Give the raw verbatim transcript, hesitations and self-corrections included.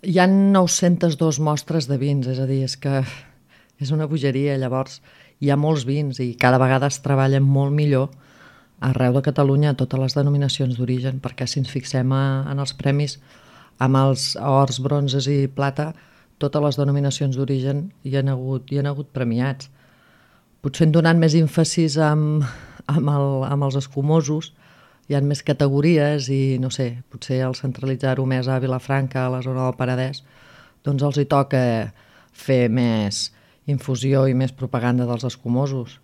Hi ha nou-centes dues mostres de vins, és a dir, és que és una bogeria. Llavors, hi ha molts vins i cada vegada es treballen molt millor arreu de Catalunya a totes les denominacions d'origen, perquè si ens fixem a, en els premis, amb els ors, bronzes i plata, totes les denominacions d'origen hi han hagut, hi han hagut premiats. Potser donant més èmfasis amb, amb, el, amb els escumosos, hi ha més categories i, no sé, potser al centralitzar-ho més a Vilafranca, a la zona del Penedès, doncs els hi toca fer més infusió i més propaganda dels escumosos.